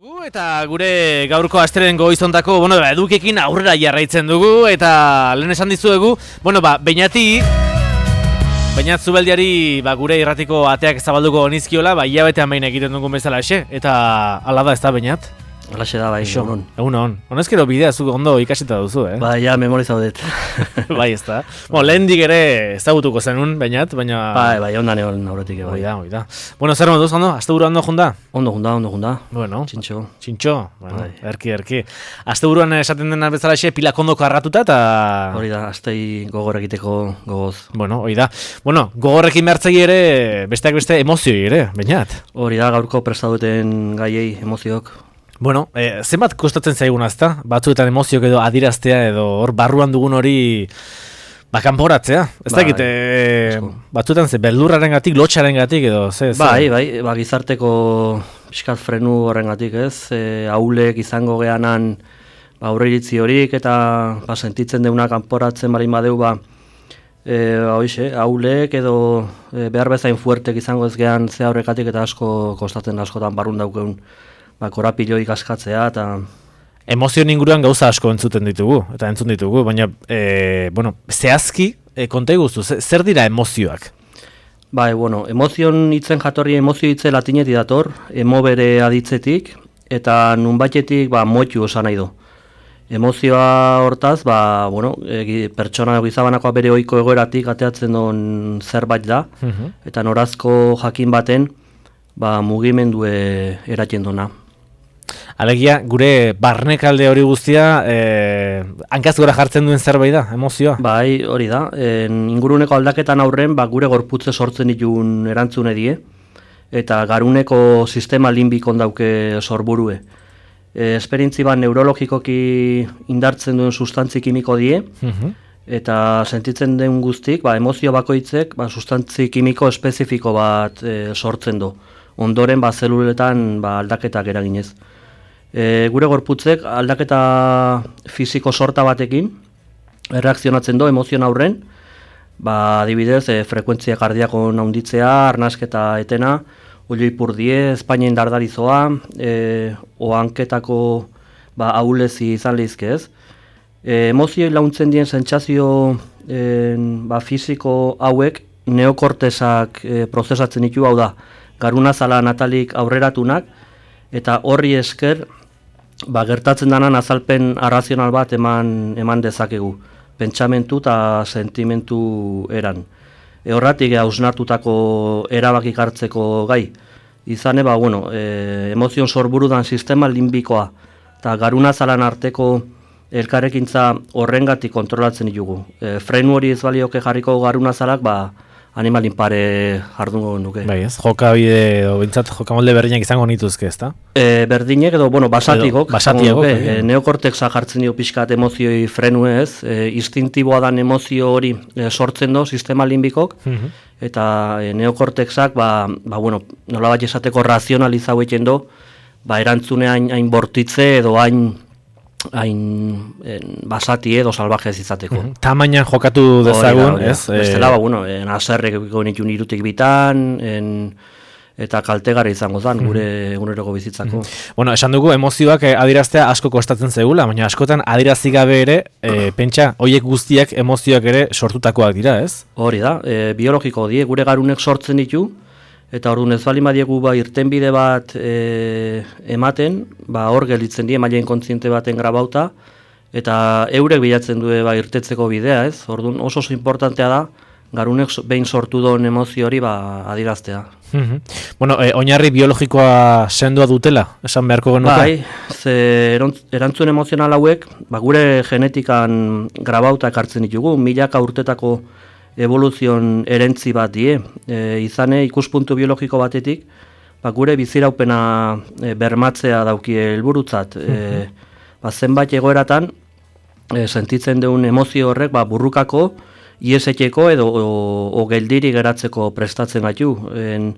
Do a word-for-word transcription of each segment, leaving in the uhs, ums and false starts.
Uh, eta gure gaurko asteren goizontako, bueno, edukekin aurrera jarraitzen dugu, eta lehen esan dizuegu, bueno, ba, Beñati, Beñat Zubeldiari, ba, gure irratiko ateak zabalduko onizkiola, ba, hilabetean behin egiten dugun bezala ese, eta ala da, ez da, Beñat? Alaxe da, bai, egun. Egun hon. Honezkero bidea zu ondo ikasita duzu, eh? Ba, ja, memorizaudet. Bai, ez da. Bueno, lehen dik ere ezagutuko zenun, Beñat, baina... Bai, bai, ondan egon aurretik, bai. Oida, oida. Bueno, zer moduz, ondo? Asteburu ondo junda? Ondo junda, ondo junda. Bueno. Txintxo. Txintxo, bueno, Bai. erki, erki. Asteburuan esaten dena bezala xe, pilak ondoko arratuta, eta... Hori da, astei gogor egiteko gogoz. Bueno, hori da. Bueno, gogorrekin behartzegi ere, besteak beste emozioi ere, Beñat. Hori da, gaurko prestaduten gaiei emoziok. Bueno, eh, zenbat kostatzen zaiguna, ezta? Batzuetan emoziok edo adiraztea edo hor barruan dugun hori ba kanporatzea. Ez Bai, dakit, eh, batzuetan ze beldurrarengatik, lotxarengatik edo ze, ze. Bai, bai, ba, gizarteko pixkat frenu horrengatik, ez? E, haulek izango geanan ba, aurreiritzi horik eta ba, sentitzen deuna kanporatzen barin badeu ba, e, ba, hoixe, haulek edo e, behar bezain fuertek izango ez gean ze horrekatik eta asko kostatzen askotan barrun daukeun ba, korapiloik askatzea eta... Emozioen inguruan gauza asko entzuten ditugu, eta entzun ditugu, baina, e, bueno, zehazki, e, konta iguzu, zer dira emozioak? Bai, bueno, emozion hitzen jatorri emozio hitze latinetik dator, emovere aditzetik, eta nunbaitetik, ba, moitu osan nahi du. Emozioa hortaz, ba, bueno, e, pertsona gizabanakoa bere ohiko egoeratik ateatzen duen zerbait da, uh-huh. eta norazko jakin baten, ba, mugimendue eratzen duna. Alegia, gure barnekalde hori guztia, eh, hankaz gora jartzen duen zerbait da, emozioa? Bai, hori da. En, inguruneko aldaketan aurren, ba, gure gorputze sortzen ditun erantzune die, eta garuneko sistema limbikon dauke sorburue. E, esperientzi bat neurologikoki indartzen duen sustantzi kimiko die, uh-huh. eta sentitzen den guztik, ba, emozio bakoitzek ba, sustantzi kimiko espezifiko bat e, sortzen du. Ondoren ba, zeluletan ba, aldaketak eraginez. E, gure gorputzek aldaketa fisiko sorta batekin erreakzionatzen du emozioen aurren, ba, adibidez, e, frekuentzia kardiako naunditzea, arnasketa etena, olio ipurdie, espainien dardarizoa, e, ohanketako ba, ahulezi izan lehizke ez. E, emozioi launtzen dien sentsazio e, ba, fisiko hauek neokortesak e, prozesatzen ditu, hau da, garunazala natalik aurreratunak, eta horri esker ba, gertatzen danan azalpen arrazional bat eman, eman dezakegu, pentsamentu eta sentimentu eran. E, horratik hausnartutako erabakik hartzeko gai. Izane, ba, bueno, e, emozion sorburudan sistema limbikoa eta garunazalan arteko elkarrekintza horrengatik kontrolatzen ditugu. E, frenu hori ez balioke jarriko garunazalak, ba, animalin pare jardungo nuke. Bai ez, jokabide edo bintzat jokamolde berdinak izango nituzke, ezta? E, berdinek edo, bueno, basatikok. Basatikok. E, neokorteksa jartzen dio pixkat emozioi frenu ez, e, instintiboa dan emozio hori e, sortzen do sistema limbikok, uh-huh. eta e, neokorteksak, ba, ba, bueno, nola bat esateko razionalizau egiten do, ba, erantzune hain, hain bortitze edo hain hain en, basati edo salvajez izateko. Mm-hmm. Tamainan jokatu dezagun, oh, ez? Bestela, ba, bueno, en aserrek nituen irutik bitan, en, eta kaltegarri izango zan, gure eguneroko bizitzako. Mm-hmm. Bueno, esan dugu, emozioak adiraztea asko kostatzen zegula, baina askotan adirazi gabe ere, e, pentsa, hoiek guztiak emozioak ere sortutakoak dira, ez? Hori da, e, biologiko die, gure garunek sortzen ditu, eta orduan ez bali madiegu ba, irtenbide bat e, ematen, ba, hor gelditzen die, mailen kontziente baten grabauta, eta eurek bilatzen du ba, irtetzeko bidea, ez? Orduan oso oso importantea da, garunek behin sortu duen emozio hori ba, adiraztea. Mm-hmm. Bueno, e, oinarri biologikoa sendoa dutela, esan beharko genuke? Bai, ze erantzun emozional hauek, ba, gure genetikan grabauta ekartzen ditugu, milaka urtetako evoluzion erentzi bat die, e, izane ikuspuntu biologiko batetik, ba, gure biziraupena e, bermatzea dauki helburutzat. E, ba, zenbait egoeratan e, sentitzen duen emozio horrek ba, burrukako, ieseteko edo o, o geldiri geratzeko prestatzen gaitu. En,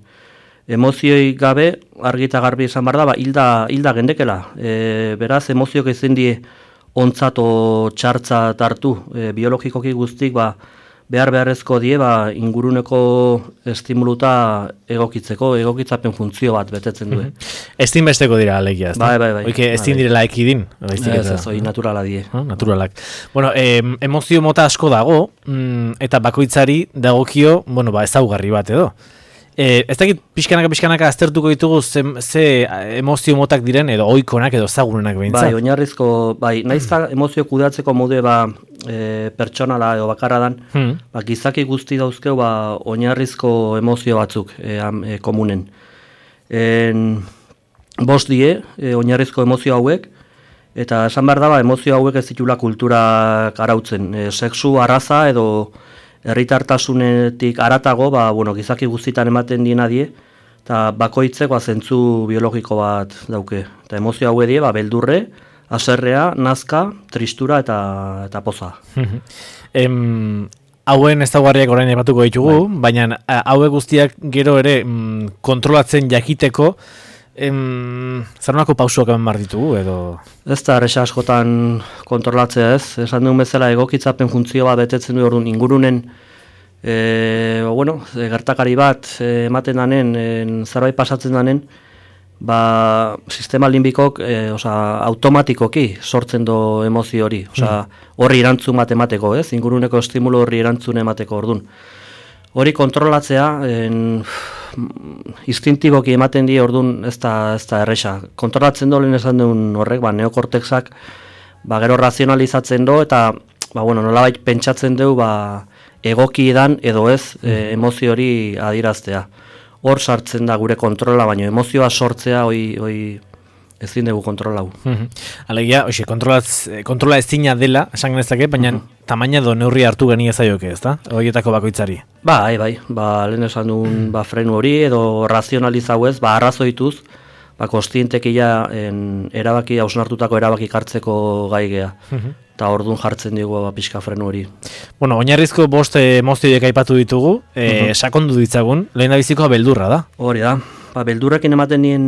emozioi gabe, argi eta garbi esan behar da, ba, hilda, hilda gendekela. E, beraz, emozioak ezin die ontzat o txartzat hartu. E, biologikoki guztik, ba, behar beharrezko die ba, inguruneko estimuluta egokitzeko, egokitzapen funtzio bat betetzen du. Estin besteko dira alegia, ez da? Bai, bai, bai. Oike, estin direla ekidin? Ez, ez, oi naturala die. Ah, naturalak. Bueno, em, emozio mota asko dago, mm, eta bakoitzari dagokio, bueno, ba, ezaugarri bat edo. E, ez dakit pixkanaka pixkanaka aztertuko ditugu ze, ze emozio motak diren edo oikonak edo zagunenak behintzat. Bai, oinarrizko, bai, naiz da emozio kudeatzeko modu ba, e, pertsonala edo bakarra dan, hmm. ba, gizaki guzti dauzkeu ba, oinarrizko emozio batzuk e, am, e, komunen. En, bost die, e, oinarrizko emozio hauek, eta esan behar da, ba, emozio hauek ez ditula kulturak arautzen. E, sexu, arraza edo herritartasunetik aratago, ba, bueno, gizaki guztitan ematen diena die, eta bakoitzeko zentzu biologiko bat dauke. Eta emozio haue die, ba, beldurre, haserrea, nazka, tristura eta, eta poza. em, hauen ezaugarriak orain aipatuko ditugu, bai. Baina hauek guztiak gero ere mm, kontrolatzen jakiteko, Em, zarunako pausuak eman behar ditugu, edo? Ez da, erresa askotan kontrolatzea ez. Esan duen bezala egokitzapen funtzio bat betetzen du orduan ingurunen e, bueno, gertakari bat e, ematen danen, e, zerbait pasatzen danen, ba, sistema limbikok e, oza, automatikoki sortzen do emozio hori. Oza, horri erantzun bat emateko, ez? Inguruneko estimulo horri erantzun emateko orduan. Hori kontrolatzea, en, instintiboki ematen die orduan ez da, ez da erresa. Kontrolatzen dolen esan duen horrek, ba, neokortexak ba, gero razionalizatzen do, eta ba, bueno, nolabait pentsatzen dugu ba, egoki edan edo ez e, emozio hori adieraztea. Hor sartzen da gure kontrola, baina emozioa sortzea hoi, hoi ezin dugu kontrolau. Alegia, oxe, kontrola ezina dela, esan genezake, baina uh -huh. tamaina edo neurri hartu geni ezaioke, ez da? Horietako bakoitzari. Ba, bai, bai, ba, lehen esan duen ba, frenu hori, edo razionalizau ez, ba, arrazoituz, ba, kostientekia erabaki, hausnartutako erabaki hartzeko gai gea. Eta orduan jartzen dugu ba, pixka frenu hori. Bueno, oinarrizko bost emozioiek aipatu ditugu, e, uh -huh. sakondu ditzagun, lehen da bizikoa beldurra da. Hori da. Ba, beldurrekin ematen dien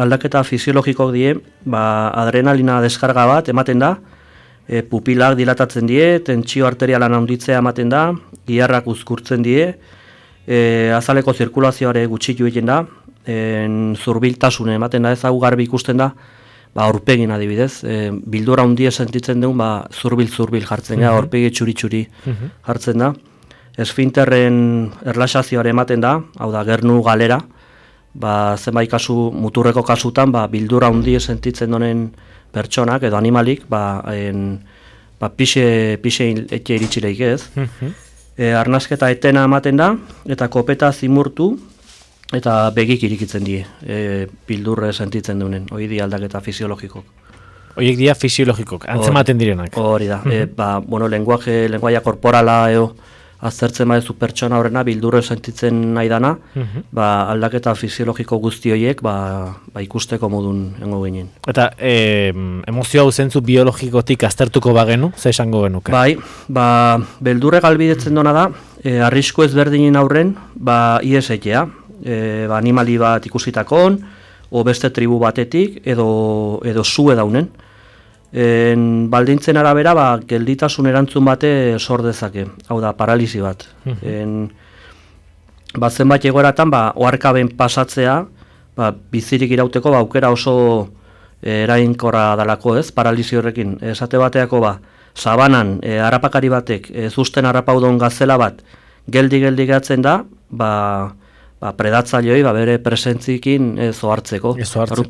aldaketa fisiologiko die, ba, adrenalina deskarga bat ematen da, e, pupilak dilatatzen die, tentsio arterialan handitzea ematen da, giharrak uzkurtzen die, e, azaleko zirkulazioare gutxitu egiten da, en, zurbiltasune ematen da, ez hau garbi ikusten da, ba, aurpegin adibidez, e, bildura handia sentitzen dugun, ba, zurbil-zurbil jartzen da, aurpegi txuri-txuri jartzen da, esfinterren erlaxazioare ematen da, hau da, gernu galera, ba, zenbait kasu, muturreko kasutan, ba, bildura handi sentitzen donen pertsonak edo animalik, ba, en, ba, pixe, pixe etxe iritsileik ez. E, arnasketa etena ematen da, eta kopeta zimurtu, eta begik irikitzen die, e, bildurre sentitzen duenen, hori di aldaketa fisiologikok. Horiek dira fisiologikok, antzematen direnak. Hori da, e, ba, bueno, lenguaje, lenguaia korporala eo, aztertzen badezu pertsona horrena bildurre sentitzen nahi dana, uh-huh. ba, aldaketa fisiologiko guzti horiek ba, ba ikusteko modun engo ginen. Eta e, emozio hau zentzu biologikotik aztertuko bagenu, ze esango genuke? Bai, ba, beldurre galbidetzen dona da, e, arrisku ezberdinen aurren, ba, ies egitea, e, ba, animali bat ikusitakoon, o beste tribu batetik, edo, edo zue daunen. En, baldintzen arabera, ba, gelditasun erantzun bate sor dezake, hau da, paralisi bat. En, ba, zenbait egoeratan, ba, oharkaben pasatzea, ba, bizirik irauteko, ba, aukera oso e, erainkorra dalako, ez, paralisi horrekin. Esate bateako, ba, sabanan, e, harrapakari batek, e, zuzten harrapaudon gazela bat, geldi-geldi gehatzen da, ba, ba, predatzaileoi ba, bere presentzikin ez ohartzeko.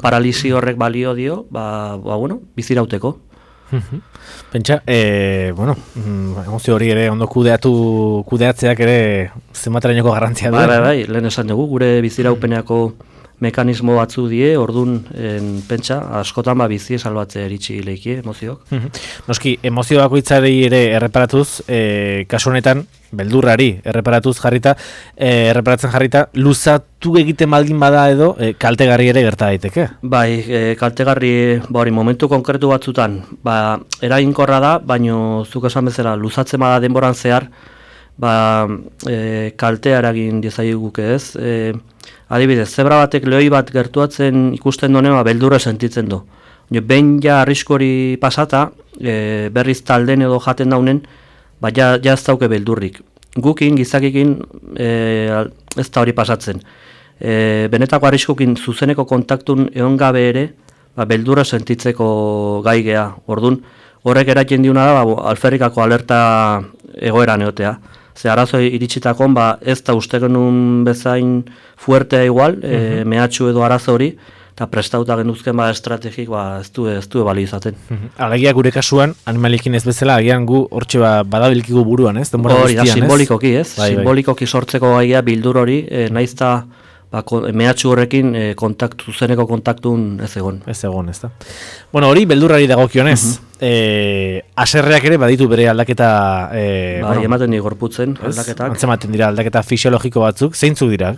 Paralisi horrek balio dio, ba, ba bueno, bizirauteko. Pentsa, e, bueno, emozio hori ere ondo kudeatu, kudeatzeak ere zenbaterainoko garrantzia du. Bai, bai, bai, lehen esan dugu, gure biziraupeneako mekanismo batzu die, ordun en, pentsa, askotan ba, bizi salbatze eritsi leikie, emozioak. Noski, emozio bakoitzari ere erreparatuz, e, kasu honetan, beldurrari erreparatuz jarrita, e, erreparatzen jarrita, luzatu egiten baldin bada edo, e, kaltegarri ere gerta daiteke? Bai, e, kaltegarri, ba hori, momentu konkretu batzutan, ba, eraginkorra da, baino zuk esan bezala, luzatzen bada denboran zehar, ba, e, kaltea eragin diezaiguke ez, e, adibidez, zebra batek lehoi bat gertuatzen ikusten donen, ba, beldurra sentitzen du. Behin ja arriskori pasata, e, berriz talden edo jaten daunen, ba, ja, ja ez dauke beldurrik. gukin, gizakikin, e, ez da hori pasatzen. E, benetako arriskukin zuzeneko kontaktun egon gabe ere, ba, beldurra sentitzeko gai gea. Orduan, horrek eratzen diuna da, ba, alferrikako alerta egoeran egotea. Ze arazo iritsitakoan, ba, ez da uste genuen bezain fuertea igual, uh -huh. e, mehatxu edo arazo hori, eta prestauta genuzken ba, estrategik ba, ez du, ez du ebali izaten. Uh -huh. Alegia gure kasuan, animalikin ez bezala, agian gu hortxe ba, badabilkigu buruan, ez? Hori da, simbolikoki, ez? Bai, simbolikoki bai. Sortzeko gaia bildur hori, e, naizta ba, mehatxu horrekin e, kontaktu, zuzeneko kontaktun ez egon. Ez egon, ez da. Bueno, hori beldurrari dagokionez, uh -huh. e, aserreak ere baditu bere aldaketa... E, bai, bueno, ematen di gorputzen aldaketak. Antzematen dira aldaketa fisiologiko batzuk, zeintzuk dira?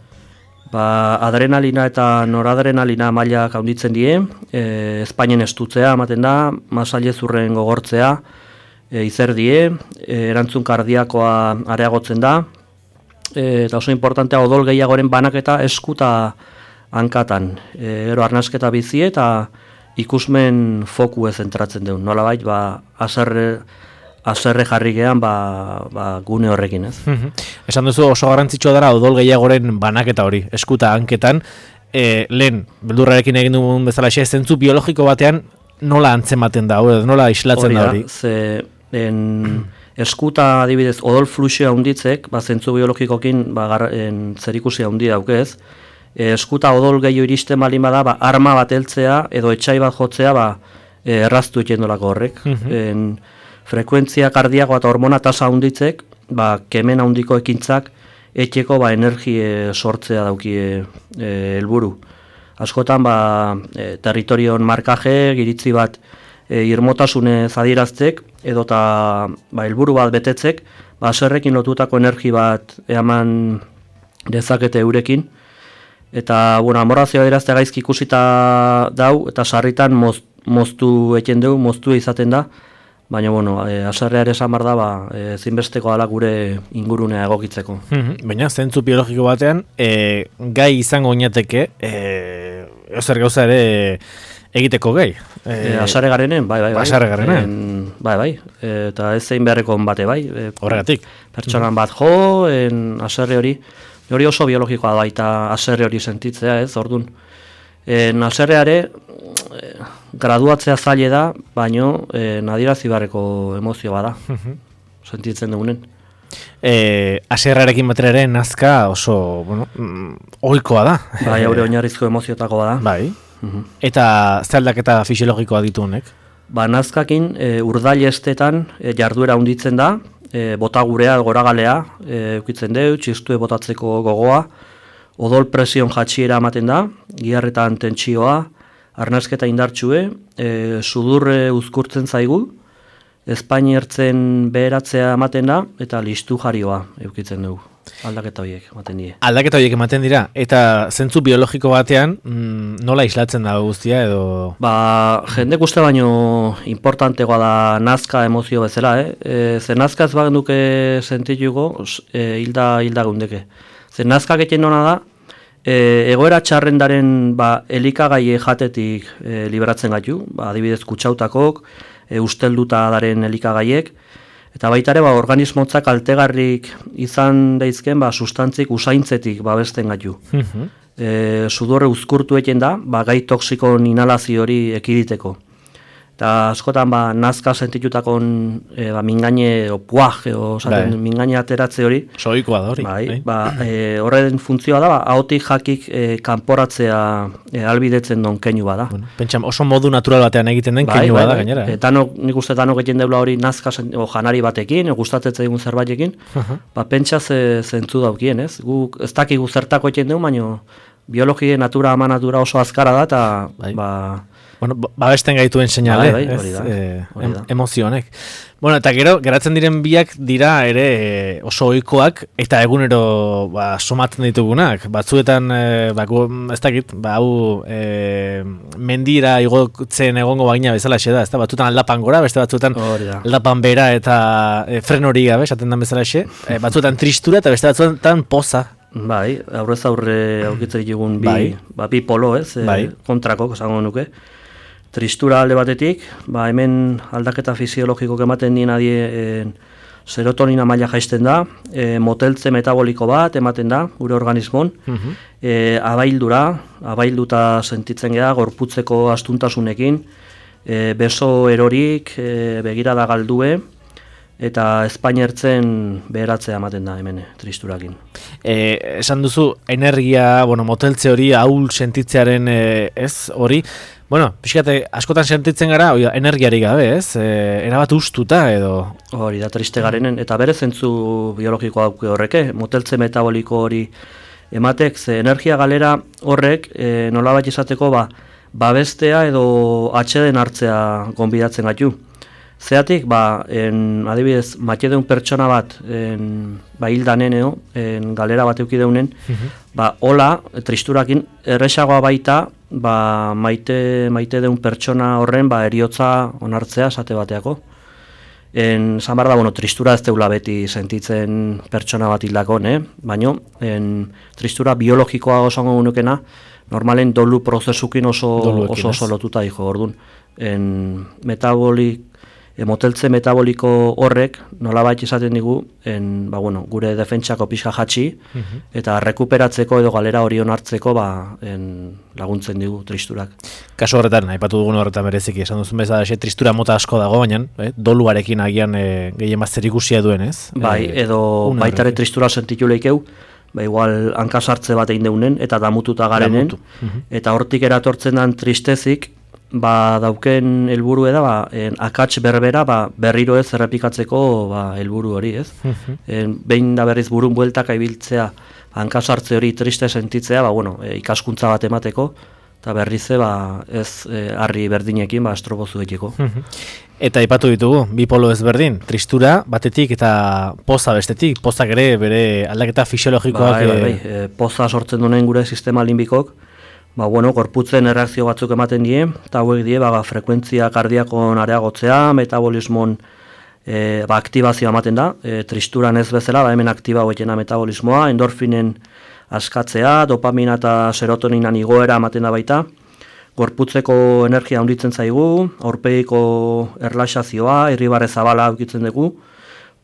Ba, adrenalina eta noradrenalina mailak handitzen die, e, Espainien estutzea ematen da, masailezurren gogortzea, e, izer die, e, erantzun kardiakoa areagotzen da, e, eta oso importantea odol gehiagoren banaketa eskuta hankatan. E, gero arnasketa bizi eta ikusmen foku ez entratzen duen. Nolabait, ba, aserre, aserre jarri gehan ba, ba, gune horrekin, ez? Esan duzu oso garrantzitsua dara odol gehiagoren banaketa hori, eskuta hanketan, e, lehen, beldurrarekin egin dugun bezala xe, zentzu biologiko batean nola antzematen da, hori, nola islatzen da hori? Ze, en, eskuta adibidez odol fluxioa handitzek, ba, zentzu biologikokin ba, gar, en, zerikusia handi daukez, e, eskuta odol gehiago iristen balin bada, ba, arma bat heltzea edo etxai bat jotzea ba, e, erraztu ekendolako horrek. en, frekuentzia kardiakoa eta hormona tasa handitzek, ba, kemen handiko ekintzak etxeko ba, energie sortzea daukie helburu. E, Askotan ba, e, territorion markaje, giritzi bat e, irmotasune zadiraztek, edota ba, helburu bat betetzek, ba, aserrekin lotutako energi bat eman dezakete eurekin, eta bueno, amorazioa dirazte gaizki ikusita dau, eta sarritan moz, moztu eken dugu, moztu izaten da, baina, bueno, e, aserrea ere esan behar da, ba, e, zinbesteko ala gure ingurunea egokitzeko. Baina, zentzu biologiko batean, e, gai izango oinateke, e, ezer gauza ere egiteko gai. E, e, asare garenen, bai, bai, bai. Asare garenen. En, bai, bai. E, eta ez zein beharreko bate, bai. E, Horregatik. Pertsonan bat jo, en aserre hori, hori oso biologikoa da, eta aserre hori sentitzea, ez, orduan. En aserreare, graduatzea zaile da, baino e, nadirazi beharreko emozio bada, sentitzen dugunen. E, aserrarekin batera ere nazka oso, bueno, mm, ohikoa da. Bai, haure oinarrizko emoziotako bada. Bai. Uh-huh. Eta ze aldaketa fisiologikoa ditu honek? Ba, nazkakin e, urdail estetan e, jarduera handitzen da, e, botagurea, goragalea, e, eukitzen deu, txistue botatzeko gogoa, odol presion jatxiera ematen da, giharretan tentsioa, arnasketa indartxue, e, sudurre uzkurtzen zaigu, Espainertzen beheratzea ematen da, eta listu jarioa eukitzen dugu. Aldaketa horiek ematen die. Aldaketa horiek ematen dira, eta zentzu biologiko batean mm, nola islatzen da guztia edo... Ba, jendek uste baino importantegoa da nazka emozio bezala, eh? E, ze nazka ez bagenduke sentituko, e, hilda, hilda gundeke. Ze nazka geten nona da, e, egoera txarrendaren ba, elikagai jatetik e, liberatzen gaitu, ba, adibidez kutsautakok, e, ustelduta daren elikagaiek, eta baita ere ba, organismotzak altegarrik izan daizken ba, sustantzik usaintzetik babesten gaitu. Uh-huh. e, sudurre uzkurtu eken da, ba, gai toksikon inhalazio hori ekiditeko. Eta askotan ba, nazka sentitutakon e, ba, mingaine o puaj, o saten, mingaine ateratze hori. Soikoa da hori. Bai, ba, e, horren funtzioa da, ba, ahotik jakik e, kanporatzea e, albidetzen don keinu bada. Bueno, pentsam, oso modu natural batean egiten den bai, keinu bai, bada bai. gainera. Eh? E, tanok, nik uste tanok egiten deula hori nazka o, janari batekin, o gustatetze egun zerbaitekin, uh-huh. ba, pentsa ze, zentzu daukien, ez? Gu ez dakigu zertako egiten dugu, baina biologia, natura, ama natura oso azkara da, eta bai. ba... Bueno, babesten gaituen seinale, bai, bai, hori da, eh, hori da. em, emozio honek. Bueno, eta gero, geratzen diren biak dira ere e, oso ohikoak eta egunero ba, somatzen ditugunak. Batzuetan, e, ba, gu, ez dakit, ba, hau e, mendira igotzen egongo bagina bezala xe da, ez da? Batzuetan aldapan gora, beste batzuetan aldapan bera eta e, fren hori gabe, esaten dan bezala xe. E, batzuetan tristura eta beste batzuetan poza. Bai, aurrez aurre aukitzen ditugun bi, bai. ba, bi polo, ez? E, bai. Kontrako, esango nuke. Tristura alde batetik, ba, hemen aldaketa fisiologiko ematen dien adie, serotonina maila jaisten da, e, moteltze metaboliko bat ematen da, gure organismon, uh-huh. e, abaildura, abailduta sentitzen geha, gorputzeko astuntasunekin, e, beso erorik, e, begirada galdue, eta espainertzen beheratzea ematen da hemen tristurakin. E, esan duzu, energia, bueno, moteltze hori, ahul sentitzearen e, ez hori, bueno, pixkate, askotan sentitzen gara, oia, energiari gabe, ez? E, erabat ustuta edo... Hori da, triste garenen, eta bere zentzu biologikoa dauke horreke, moteltze metaboliko hori ematek, ze energia galera horrek, e, nolabait izateko, ba, babestea edo atxeden hartzea gonbidatzen gaitu. Zeatik, ba, en, adibidez, matxedeun pertsona bat, en, ba, hildaneneo, en, galera bat eukideunen, uh-huh. ba, hola, tristurakin, erresagoa baita, ba, maite, maite deun pertsona horren, ba, eriotza onartzea, esate bateako. En, zan behar da, bueno, tristura ez deula beti sentitzen pertsona bat hildakon, eh? Baina, tristura biologikoa osango gunukena, normalen dolu prozesukin oso, oso, oso lotuta dijo, orduan. En, metabolik, E, moteltze metaboliko horrek nolabait izaten digu en, ba, bueno, gure defentsako pixka jatxi uh-huh. eta rekuperatzeko edo galera hori onartzeko ba, en, laguntzen digu tristurak. Kasu horretan, aipatu dugun horretan bereziki, esan duzun bezala, xe, tristura mota asko dago, baina eh, doluarekin agian eh, gehien bat zerikusia duen, ez? Bai, edo baitare tristura sentitu lehikeu, ba, igual hankasartze bat egin deunen eta damututa garenen, Damutu. uh-huh. eta hortik eratortzen den tristezik, ba, dauken helburu da, ba, en, akats berbera ba, berriro ez errepikatzeko ba, helburu hori, ez? Uh-huh. En, behin da berriz burun bueltak aibiltzea, hankasartze hori triste sentitzea, ba, bueno, e, ikaskuntza bat emateko, eta berriz ba, ez e, harri berdinekin ba, estrobozu egiteko. Uh-huh. Eta aipatu ditugu, bi polo ezberdin, tristura batetik eta poza bestetik, pozak ere bere aldaketa fisiologikoak... Bai, bai, bai. E, poza sortzen duen gure sistema limbikok, ba, bueno, gorputzen erreakzio batzuk ematen die, eta hauek die, ba, frekuentzia kardiakon areagotzea, metabolismon e, ba, aktibazioa ematen da, e, tristuran ez bezala, ba, hemen aktiba hoetena metabolismoa, endorfinen askatzea, dopamina eta serotoninan igoera ematen da baita, gorputzeko energia handitzen zaigu, aurpegiko erlaxazioa, irribarre zabala aukitzen dugu,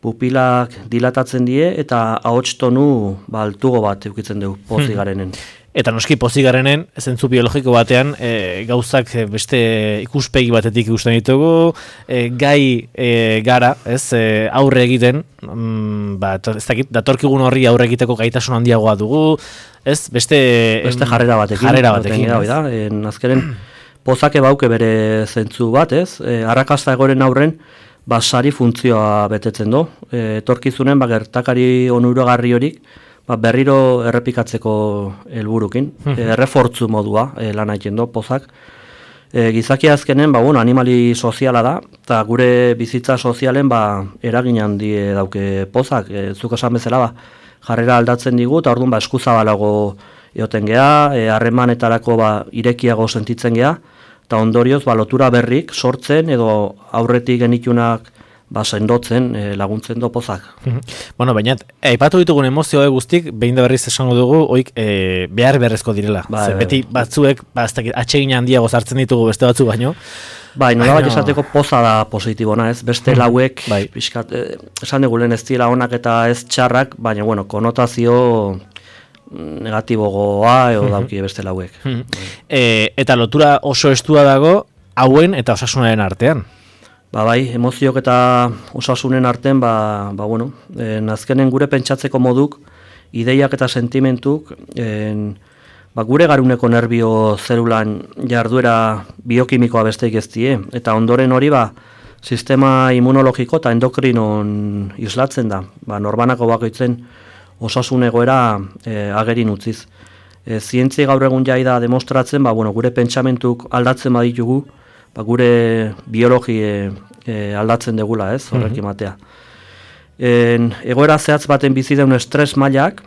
pupilak dilatatzen die, eta ahots tonu ba, altugo bat eukitzen dugu, pozik garenen. Eta noski pozik garenen, zentzu biologiko batean, e, gauzak beste ikuspegi batetik ikusten ditugu, e, gai e, gara, ez, e, aurre egiten, mm, ba, ez dakit, datorkigun horri aurre egiteko gaitasun handiagoa dugu, ez, beste... Beste jarrera batekin. Jarrera batekin, ez. Da, en, azkenen, pozake bauke bere zentzu bat, ez, e, arrakasta egoren aurren, ba, sari funtzioa betetzen do, e, etorkizunen, ba, gertakari onuragarri horik, ba, berriro errepikatzeko helburukin, e, errefortzu modua e, lan egiten do, pozak. E, gizaki azkenen, ba, bueno, animali soziala da, eta gure bizitza sozialen ba, eragin handi dauke pozak. E, zuk esan bezala, ba, jarrera aldatzen digu, eta orduan ba, eskuzabalago egoten geha, e, harremanetarako ba, irekiago sentitzen geha, eta ondorioz ba, lotura berrik sortzen edo aurretik genitunak ba, sendotzen e, laguntzen do pozak. Bueno, baina, aipatu ditugun emozio guztik, behin da berriz esango dugu, oik e, behar beharrezko direla. Ba, Zer, beti batzuek, ba, atsegin handiago sartzen ditugu beste batzu baino. Bai, nola bat esateko poza da positibona, ez? Beste lauek, bai. Piskat, e, esan dugu lehen ez dira onak eta ez txarrak, baina, bueno, konotazio negatibogoa edo dauki beste lauek. E, eta lotura oso estua dago, hauen eta osasunaren artean. Ba bai, emoziok eta osasunen artean, ba, ba bueno, en, azkenen gure pentsatzeko moduk, ideiak eta sentimentuk, en, ba, gure garuneko nerbio zelulan jarduera biokimikoa besteik ez die, eta ondoren hori ba, sistema immunologiko eta endokrinon islatzen da, ba, norbanako bakoitzen osasun egoera e, agerin utziz. E, zientzia gaur egun jai da demostratzen, ba, bueno, gure pentsamentuk aldatzen baditugu, ba, gure biologi e, e, aldatzen degula, ez, horrekin matea. En, egoera zehatz baten bizi deun estres mailak,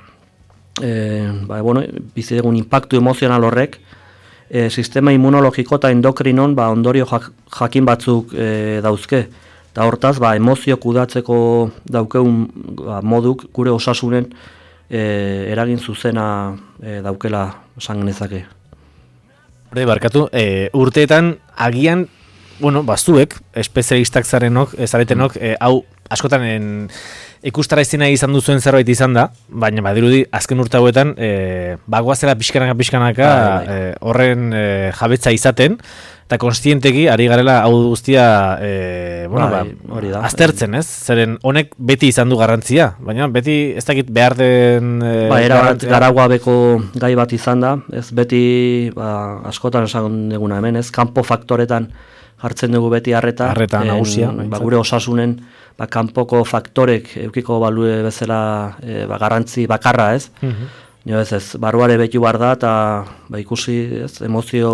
e, ba, bueno, bizi degun impactu emozional horrek, e, sistema immunologiko eta endokrinon ba, ondorio jak, jakin batzuk e, dauzke. Eta hortaz, ba, emozio kudatzeko daukeun ba, moduk gure osasunen e, eragin zuzena e, daukela esan genezake. Hore, barkatu, e, urteetan agian, bueno, bazuek, espezialistak zarenok, zaretenok, e, hau askotan en, ikustara izena izan duzuen zerbait izan da, baina badirudi azken urte hauetan e, bagoazela pixkanaka pixkanaka e, horren e, jabetza izaten, eta konstienteki ari garela hau guztia e, bueno, bai, ba, hori da. aztertzen, ez? Zeren honek beti izan du garrantzia, baina beti ez dakit behar den e, ba, era bat garagabeko gai bat izan da, ez beti ba, askotan esan duguna hemen, ez kanpo faktoretan jartzen dugu beti harreta, harreta nagusia, ba, gure osasunen ba, kanpoko faktorek eukiko balue bezala e, ba, garrantzi bakarra, ez? Mm-hmm. Jo, ez, ez, barruare betu bar da, eta ba, ikusi, ez, emozio,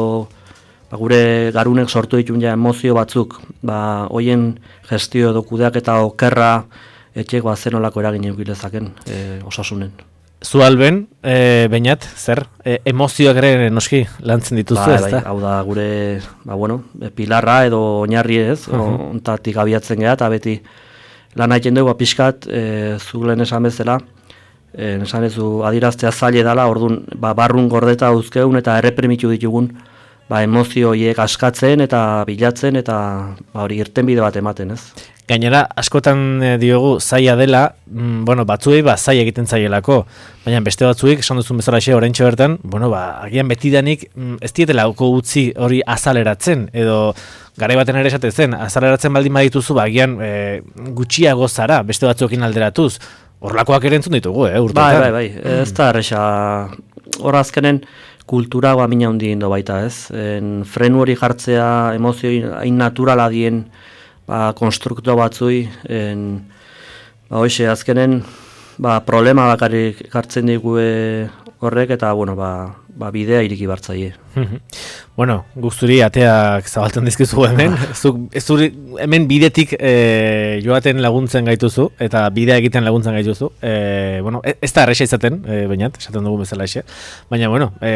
ba, gure garunek sortu ditun ja emozio batzuk, ba, hoien gestio edo kudeak eta okerra etxek ba, zenolako eragin eukilezaken e, osasunen. Zu alben, e, bainat, zer, e, emozioak ere noski lantzen dituzu, ba, ez da? Bai, hau da gure, ba, bueno, pilarra edo oinarri ez, uh-huh. ontatik abiatzen geha, eta beti lan haiten dugu, ba, pixkat, e, zu lehen esan bezala, e, esan ez du adiraztea zaile dela, orduan, ba, barrun gordeta uzkeun eta erreprimitu ditugun, ba, emozio hiek askatzen eta bilatzen, eta ba, hori irtenbide bat ematen, ez? Gainera, askotan e, diogu zaila dela, mm, bueno, batzuei ba, zaila egiten zaielako, baina beste batzuek, esan duzun bezala xe, oraintxe bertan, bueno, ba, agian betidanik mm, ez dietelako utzi hori azaleratzen, edo garai baten ere esaten, azaleratzen baldin badituzu, ba, agian e, gutxiago zara, beste batzuekin alderatuz, horlakoak ere entzun ditugu, eh, urteetan. Bai, bai, bai, ez da erresa, hor azkenen, kultura guamina hundi indo baita, ez? En, frenu hori jartzea, emozio hain naturala dien, ba, konstrukto batzui, en, ba, hoxe, azkenen, ba, problema bakarrik hartzen digue horrek, eta, bueno, ba, ba bidea iriki bartzaie. Bueno, guzturi ateak zabaltzen dizkizu hemen, zuk, zuri, hemen bidetik e, joaten laguntzen gaituzu, eta bidea egiten laguntzen gaituzu, e, bueno, ez da erresa izaten, e, bainat, esaten dugu bezala exe, baina, bueno, e,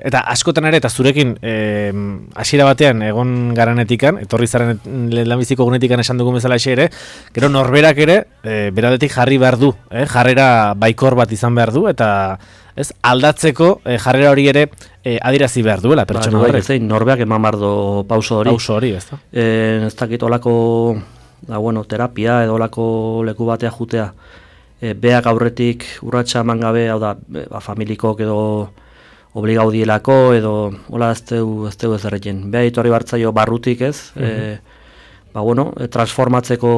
eta askotan ere, eta zurekin, e, hasiera batean egon garanetikan, etorri zaren lehenbiziko gunetikan esan dugu bezala exe ere, gero norberak ere, e, beradetik jarri behar du, eh, jarrera baikor bat izan behar du, eta ez, aldatzeko e, jarrera hori ere e, adirazi behar duela pertsona horrek. Ba, norbeak eman bardo pauso hori. Pauso hori, ez da? E, ez dakit olako, da, bueno, terapia edo olako leku batea jutea. E, beak aurretik urratsa eman gabe, hau da, ba, familikok edo obligau dielako, edo hola ez teu ez teu ez erreten. Beha itorri bartzaio barrutik ez, mm-hmm. e, ba, bueno, e, transformatzeko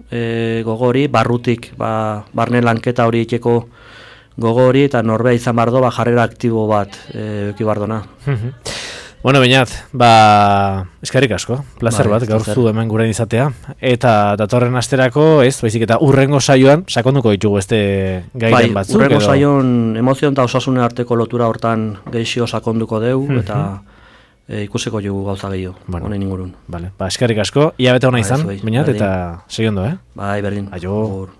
e, gogori, barrutik, ba, barne lanketa hori iteko gogo hori, eta norbea izan bardo, ba, jarrera aktibo bat e, eki bardona. Bueno, Beñat, ba, eskerrik asko, placer bai, bat, gaur zu hemen guren izatea. Eta datorren asterako, ez, baizik eta urrengo saioan, sakonduko ditugu este gaiden bai, batzuk. Urrengo edo... saion emozion eta osasune arteko lotura hortan geixio sakonduko deu, eta e, ikusiko jugu gauza gehiago, bueno, honen ingurun. Vale, ba, eskerrik asko, ia bete hona izan, Beñat, eta segi ondo, eh? Bai, berdin. Aio.